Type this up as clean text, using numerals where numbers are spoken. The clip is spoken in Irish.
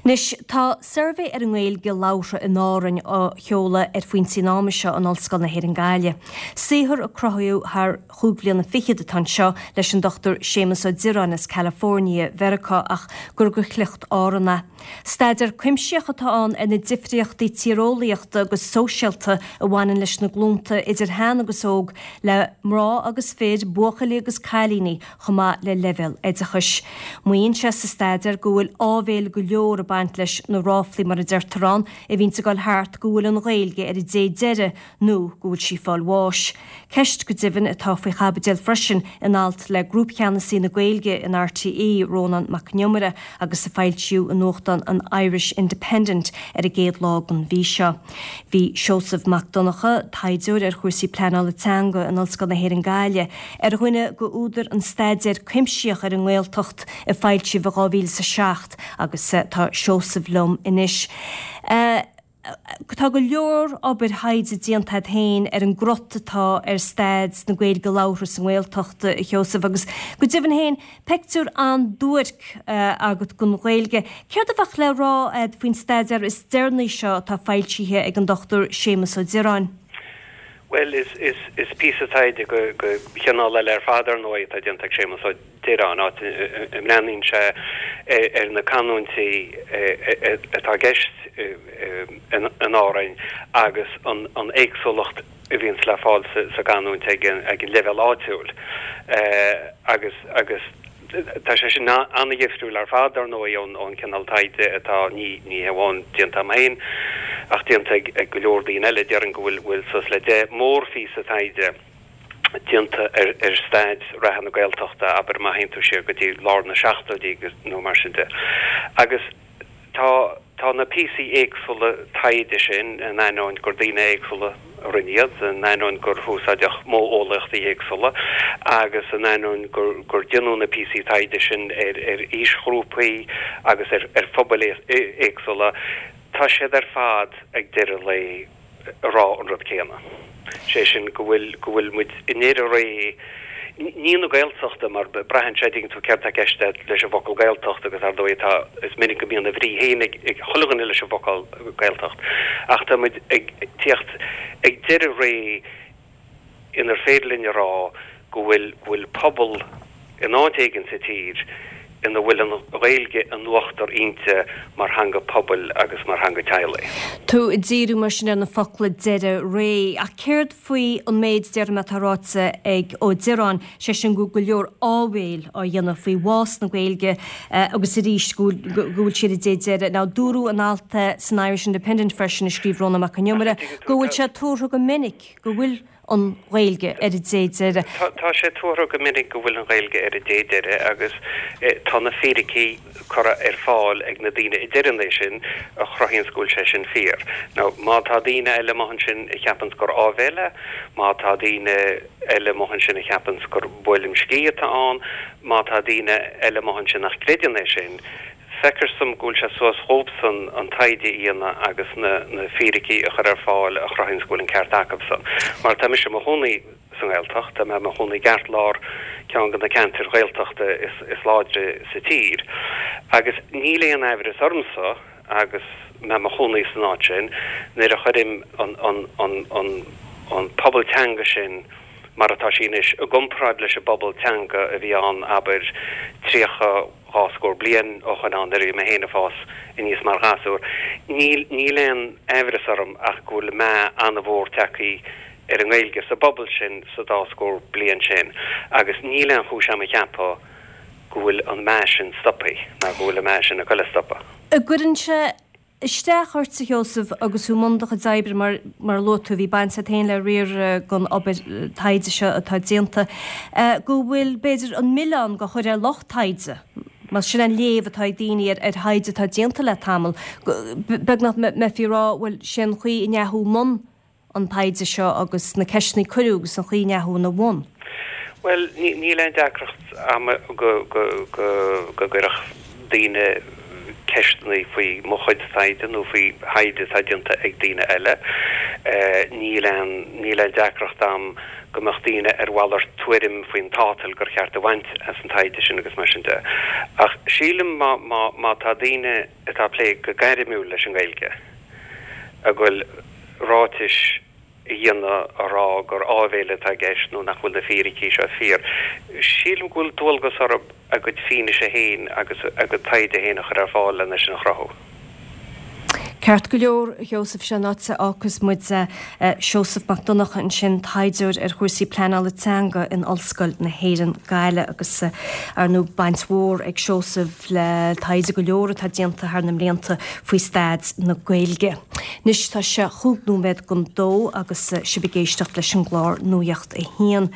Anois, tá suirbhé ar an nGaeilge labhartha in Árainn á sheoladh ar phointí an ama seo in Ollscoil na hÉireann Gaillimh. Saothar a cruthaíodh thar chúig bhliana fichead atá anseo leis an Dr Séamus Ó Direáin as California, Mheiriceá ach gur de shliocht Árann é. Staidéar cuimsitheach atá ann ar na difríochtaí tíreolaíochta agus sóisialta a bhaineann leis na glúnta idir shean agus óg, le mná agus fir, buachaillí agus cailíní, chomh maith le leibhéal oideachais. Maíonn sé sa staidéar go bhfuil áibhéil go leor ag baint leis na ráflaí, mar a deirtear ann, a bhíonns ag dul thart go bhfuil an Ghaeilge ar an dé deiridh nó go bhfuil sí ag fáil bháis. Ceist, go deimhin, atá faoi chaibidil freisin in alt le Grúpcheannasaí na Gaeilge in RTÉ, Rónán Mac Con Iomaire, agus a foilsíodh i nuachtán an Irish Independent ar an gcéad lá den mhí seo. Bhí Seosamh Mac Donncha, taighdeoir ar chúrsaí pleanála teanga in Ollscoil na hÉireann Gaillimh, ar dhuine d'údair an staidéir cuimsitheach ar an nGaeltacht a foilsíodh i 2007 agus tá Seosamh liom anois. Tá go leor obair thaighde déanta agat féin ar an gcrot atá ar staid na Gaeilge labhartha sa nGaeltacht, a Sheosaimh, agus go deimhin féin, peictiúr an-duairc agat den Ghaeilge. Céard a bheadh le rá agat faoin staidéar is deireanaí seo atá foilsithe ag an Dr Séamus Ó Direáin? Bhuel, is píosa taighde de chineál eile ar fad, ar ndóigh, atá déanta ag Séamus Ó Direáin, áit a mbreathnaíonn sé ar na canúintí atá i gceist in Árainn agus an éagsúlacht a bhíonns le fáil sa gcanúint ag an leibhéal áitiúil. Agus agus tá sé sin an-dhifriúil ar fad, dar ndóigh, ón chineál taighde atá, ní ní hamháin déanta agam féin, ach déanta ag go leor daoine eile. Déarfainn go bhfuil suas le 10 mórphíosa taighde déanta ar staid reatha na Gaeltachta, abair má théann tú siar go dtí lár na seachtóidí nó mar sin de. Agus tá tá na píosaí éagsúla taighde sin, in ainneoin gur daoine éagsúla a rinne iad, in ainneoin gur húsáideadh modheolaíochtaí éagsúla agus in ainneoin gur gur déanadh na píosaí taighde sin ar ar aoisghrúpaí agus ar ar phobail éagsúla, tá siad ar fad ag deireadh an lae ag rá an rud céanna, sé sin go bhfuil, go bhfuil muid i ndeireadh ré, ní na Gaeltachta mar braitheann sé, dtuigeann tú céard tá i gceist leis an bhfocal Gaeltacht agus ar ndóigh tá, is minic go mbíonn a bhrí féin ag chuile dhuine leis an bhfocal Gaeltacht ach tá muid ag tíocht ag deireadh ré inar féidir linn a rá go bhfuil, go bhfuil pobal in áit éigin sa tír ina bhfuil an Ghaeilge in uachtar inti mar theanga pobail agus mar theanga teaghlaigh. Tú ag díriú mar sin ar na focla deireadh ré. Ach céard faoi an méid, déarfaidh mé, atá ráite ag Ó Direáin, sé sin go bhfuil go leor áibhéil á dhéanamh faoi bhás na Gaeilge agus arís go bhfuil sí ar an dé deiridh. Now dúradh in alt san Irish Independent freisin a scríobh Rónán Mac Con Iomaire go bhfuil sé tuartha go minic go bhfuil an Ghaeilge ar an dé deiridh. Tá sé tuartha go minic go bhfuil an Ghaeilge ar an dé deiridh agus tá na fíricí curtha ar fáil ag na daoine a deireann é sin a chruthaíonns go bhfuil sé sin fíor. Now má tá daoine eile amuigh ansin a cheapanns gur áibhéil é, má tá daoine eile amuigh ansin a cheapanns gur buaileam scíth atá ann, má tá daoine eile amuigh ansin nach gcreideann é sin, Feictear dom go bhfuil sé suas dhóibhsan an taighde a dhéanamh agus na fíricí a chur ar fáil a chruthaíonns go bhfuil an ceart acubsan. Mar tá mise i mo chónaí sa nGaeltacht, tá mé i mo chónaí i gceartlár ceann de na ceantair Ghaeltachta is láidre sa tír agus níl aon aimhreas ormsa agus mé i mo chónaí san áit sin nuair a chuirim an pobal teanga sin mar atá sí anois i gcomparáid leis an bpobal teanga a bhí ann abair 30 scór bliain ó shoin ann nuair a bhí mé féin ag fás aníos mar ghasúr. Níl, níl aon aimhreas orm ach go bhfuil meath an-mhór tagtha ar an nGaeilge sa bpobal sin sa dá scór bliain sin agus níl aon chúis a'm a cheapadh go bhfuil an meath sin stoptha ná go bhfuil an meath sin ag goil a stopadh. An gcuireann sé isteach ort, a Sheosaimh, agus tú i mbun do chuid oibre, mar, mar a luaigh tú, bhí baint agat féin le riar den obair taighde seo atá déanta, go bhfuil, b'fhéidir, an milleán á chur ar lucht taighde, más sin an léamh atá ag daoine ar, ar thaighde atá déanta le tamall, beagnach mbeifí ag rá, bhuel, sé an chaoi a ndeachaigh thú i mbun an taighde seo agus na ceisteanna a cuireadh agus an chaoi a ndeachaigh thú ina bhun? Bhuel, níl aon deacracht a'm go gcuirfeadh daoine ceisteanna faoi mo chuid taighde nó faoi thaighde atá déanta ag daoine eile. Níl aon, níl aon deacracht a'm go mbeadh daoine ar mhalairt tuairim faoin tátal gur cheart a bhaint as an taighde sin agus mar sin de. Ach sílim má, má, má tá daoine atá ag plé go gairmiúil leis an nGaeilge ag goil ráitis a dhéanamh a rá gur áibhéil atá i gceist nó nach bhfuil na fíricí seo fíor, sílim go bhfuil dualgas orthu a gcuid fianaise féin agus a gcuid taighde féin a chur ar fáil lena sin a chruthú. Ceart go leor, a Sheosaimh, sin an áit a fhágfas muid Seosamh Mac Donncha ansin, taighdeoir ar chúrsaí pleanála teanga in Ollscoil na hÉireann, Gaillimh agus ar ndóigh baint mhór ag Seosamh le taighde go leor atá déanta thar na mblianta faoi staid na Gaeilge. Anois tá sé chúig nóiméad don dó agus sibh ag éisteacht leis an gclár Nuacht a hAon.